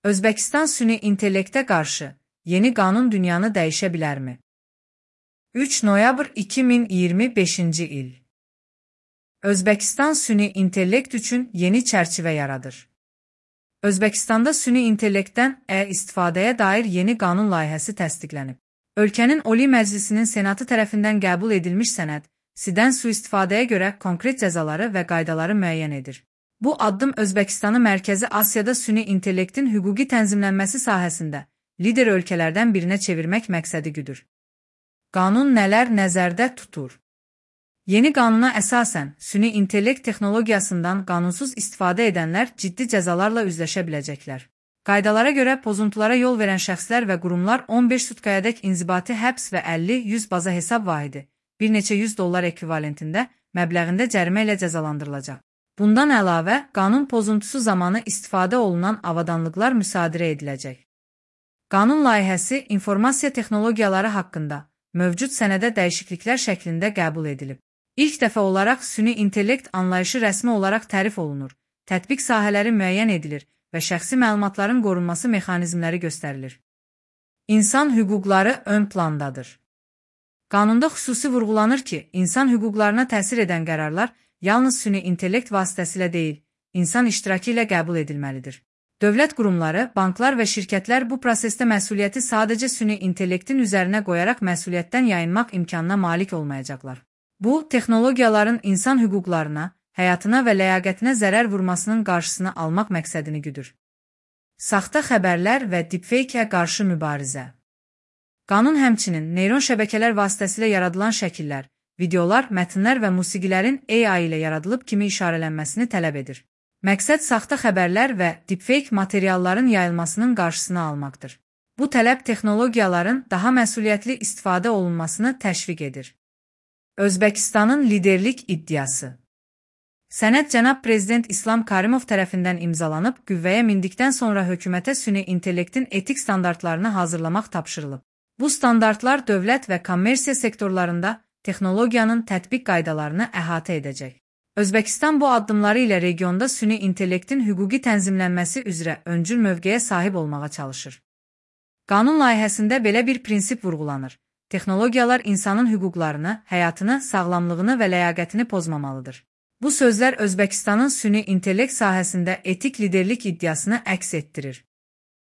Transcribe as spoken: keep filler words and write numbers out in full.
Özbəkistan süni intellektə qarşı yeni qanun dünyanı dəyişə bilərmi? üç noyabr iki min iyirmi beşinci il. Özbəkistan süni intellekt üçün yeni çərçivə yaradır. Özbəkistanda süni intellektdən ə istifadəyə dair yeni qanun layihəsi təsdiqlənib. Ölkənin Oli Məclisinin Senatı tərəfindən qəbul edilmiş sənəd, sidən sui-istifadəyə görə konkret cəzaları və qaydaları müəyyən edir. Bu addım Özbəkistanı Mərkəzi Asiyada süni intellektin hüquqi tənzimlənməsi sahəsində lider ölkələrdən birinə çevirmək məqsədi güdür. Qanun nələr nəzərdə tutur? Yeni qanuna əsasən, süni intellekt texnologiyasından qanunsuz istifadə edənlər ciddi cəzalarla üzləşə biləcəklər. Qaydalara görə pozuntulara yol verən şəxslər və qurumlar on beş sutkayadək inzibati həbs və əlli yüz baza hesab vahidi, bir neçə yüz dollar ekvivalentində məbləğində cərimə ilə cəzalandırılacaq. Bundan əlavə, qanun pozuntusu zamanı istifadə olunan avadanlıqlar müsadirə ediləcək. Qanun layihəsi informasiya texnologiyaları haqqında mövcud sənədə dəyişikliklər şəklində qəbul edilib. İlk dəfə olaraq süni intellekt anlayışı rəsmi olaraq tərif olunur, tətbiq sahələri müəyyən edilir və şəxsi məlumatların qorunması mexanizmləri göstərilir. İnsan hüquqları ön plandadır. Qanunda xüsusi vurğulanır ki, insan hüquqlarına təsir edən qərarlar yalnız süni intellekt vasitəsilə deyil, insan iştirakı ilə qəbul edilməlidir. Dövlət qurumları, banklar və şirkətlər bu prosesdə məsuliyyəti sadəcə süni intellektin üzərinə qoyaraq məsuliyyətdən yayınmaq imkanına malik olmayacaqlar. Bu, texnologiyaların insan hüquqlarına, həyatına və ləyaqətinə zərər vurmasının qarşısını almaq məqsədini güdür. Saxta xəbərlər və deepfake-ə qarşı mübarizə. Qanun həmçinin neyron şəbəkələr vasitəsilə yaradılan şəkillər, videolar, mətnlər və musiqilərin A I ilə yaradılıb kimi işarələnməsini tələb edir. Məqsəd saxta xəbərlər və deepfake materialların yayılmasının qarşısını almaqdır. Bu tələb texnologiyaların daha məsuliyyətli istifadə olunmasını təşviq edir. Özbəkistanın liderlik iddiası. Sənəd cənab Prezident İslam Karimov tərəfindən imzalanıb, qüvvəyə mindikdən sonra hökumətə süni intellektin etik standartlarını hazırlamaq tapşırılıb. Bu standartlar dövlət və kommersiya sektorlarında texnologiyanın tətbiq qaydalarını əhatə edəcək. Özbəkistan bu addımları ilə regionda süni intellektin hüquqi tənzimlənməsi üzrə öncül mövqeyə sahib olmağa çalışır. Qanun layihəsində belə bir prinsip vurğulanır. Texnologiyalar insanın hüquqlarını, həyatını, sağlamlığını və ləyaqətini pozmamalıdır. Bu sözlər Özbəkistanın süni intellekt sahəsində etik liderlik iddiasını əks etdirir.